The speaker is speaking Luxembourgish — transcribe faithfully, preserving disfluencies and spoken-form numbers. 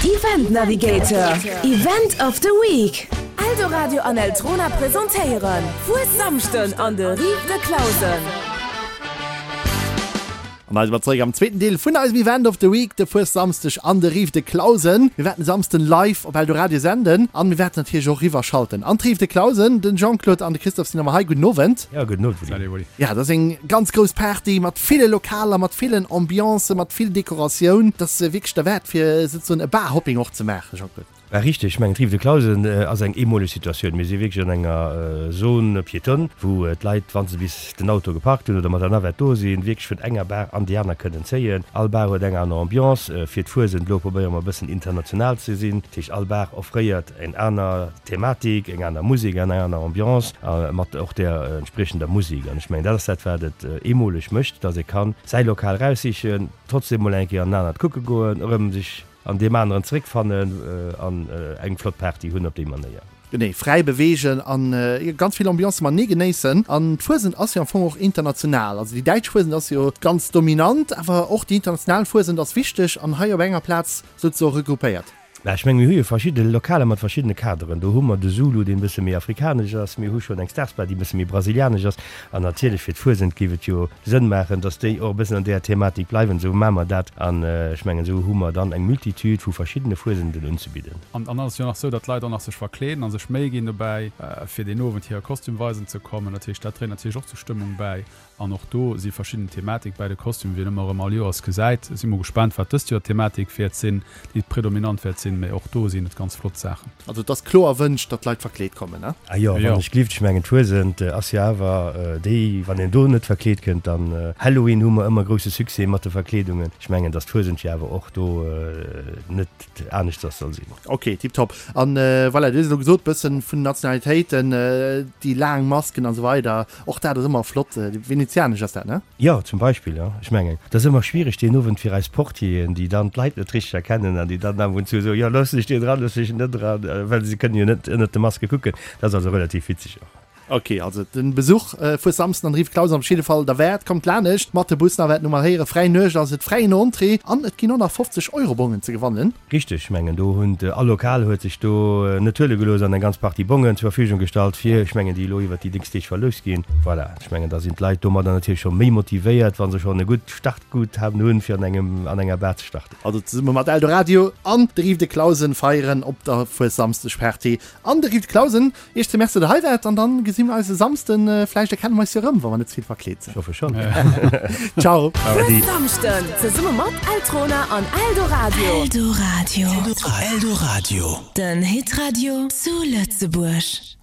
Event Navigator, Event of the Week. Eldoradio an Eltrona presentéieren Fuessamschden an de Rives de Clausen. An da si mer zeréck am zweeten Deel vun eisem Event of the Week, de Fuessamsdeg an de Rives de Clausen. Mir wäerten e Samsden live op Eldoradio senden an mir wäerten natierlech och eriwwerschalten an d'Rives de Clausen. Den Jean-Claude an de Christophe sinn ëmmer hei. Gudden Owend. Jo, gudden Owend, Willy. Salut, Willy. Ja, dat ass eng ganz grouss Party mat ville Lokaler, mat villen Ambiancen, mat vill Dekoratioun. Dat ass wierklech derwäert fir souzesoen e Barhopping och ze maachen, Jean-Claude. Bah richteg, ech mengen d'Rive de Clausen ass eng eemoleg Situatioun. Mir si wierklech an enger Zone piétonne, wou d'Leit, wa se bis den Auto geparkt hunn oder mat der Navette do sinn, wierklech vun enger Bar an déi aner kënnen zéien. All Bar huet eng aner Ambiance. Fir d'Fuesent elo probéiere mer e bëssen international ze sinn. Dat heescht, all Bar offréiert eng aner Thematik, eng aner Musek an eng aner Ambiance a mat och där entspriechender Musek. An ech mengen, dat ass dat, wat et eemoleg mécht, dass ee kann säi Lokal eraussichen, trotzdem mol eng Kéier an en anert kucke goen, erëm sech an deem aneren zeréckfannen an eng flott Party hunn op déi Manéier. Genee, fräi beweegen an ganz vill Ambiance matenee genéissen. An d'Fuesent ass jo am Fong och international. Also déi däitsch Fuesent ass jo ganz dominant, awer och déi international Fuesent ass wichteg an hei op enger Plaz souzesoe regroupéiert. Mä ech menge mir hu jo verschidde Lokaler mat verschiddene Kaderen. Do hu mer de Zulu, deen e bësse méi afrikanesch ass, mir hu schonn eng Stars Bar, déi e bësse méi brasilianesch ass. An natierlech fir d'Fuesent géif et jo Sënn maachen, dass déi och e bëssen an deeër Thematik bleiwen. Esou maache mer dat an ech mengen, esou hu mer dann eng Multitude vu verschiddene Fuesenten unzebidden. An dann ass et jo nach esou, datt d'Leit och nach sech verkleeden a sech Méi ginn dobäi, fir deen Owend hire Kostüm weisen ze kommen. Dat heescht, dat dréit natierlech och zur Stëmmung bäi. An och do si verschidden Thematik bäi de Kostümen, wéi een ëmmer erëm all Joers gesäit. Si mol gespaant, wat dëst Joer d'Thematik wäert sinn, déi predominant wäert sinn, mee och do sinn et ganz flott Saachen. Also et ass kloer erwënscht, datt d'Leit verkleet kommen, ne? Ah jo, wann ech gelift, ech mengen d'Fuesent ass jo awer déi, wann een do net verkleet kënnt, dann Halloween hu mer ëmmer grousse Succès mat de Verkleedungen. Ech mengen, datt d'Fuesent jo awer och do net aneschters soll sinn. Ok, tiptop. An voilà, dir hutt et elo gesot, bëssen vun Nationalitéiten, déi laang Masken an esou weider, och dat ass ëmmer flott. Venezianesch ass dat, ne? Jo, zum Beispill, jo. Ech mengen, et ass ëmmer schwiereg deen Owend fir eis Portieren, déi dann d'Leit net richteg erkennen an déi dann ab und zu soen, jo, loossen ech deen dran, loossen ech en net dran, well se kënnen jo net ënnert de Maske kucken. Dat ass also relativ witzeg och. Ok, also den Besuch fuer Samsden an Rive Clausen op jidde Fall derwäert. Kommt lanescht mat de Bus, nach wäert no mal héieren, fräi Nuecht ass et, fräien Entrée an et ginn och nach fofzeg Euro Bongen ze gewannen. Richteg, ech mengen do hunn all Lokal huet sech do net huele gelooss an eng ganz Partie Bongen zur Verfügung gestallt fir, ech mengen déi elo iwwert déi nächst Deeg verloust ginn. Voilà, ech mengen da sinn d'Leit domadder natierlech scho méi motivéiert, wa se schonn e gutt Startguthaben hunn fir an engem an enger Bar ze starten. Also zesumme mat Eldoradio an de Rive de Clausen feieren op der Fuessamsdegparty an de Rive de Clausen. Iech ze Merci, datt der hei waart an dann gesi mir eis e Samsden. Vläicht erkenne mer eis jo erëm, wa mer net ze vill verkleet sinn. Ech hoffe schonn. Ciao. Fues Samschden zesumme mat Eltrona an Eldoradio. Eldoradio. Eldoradio. Den Hitradio zu Lëtzebuerg.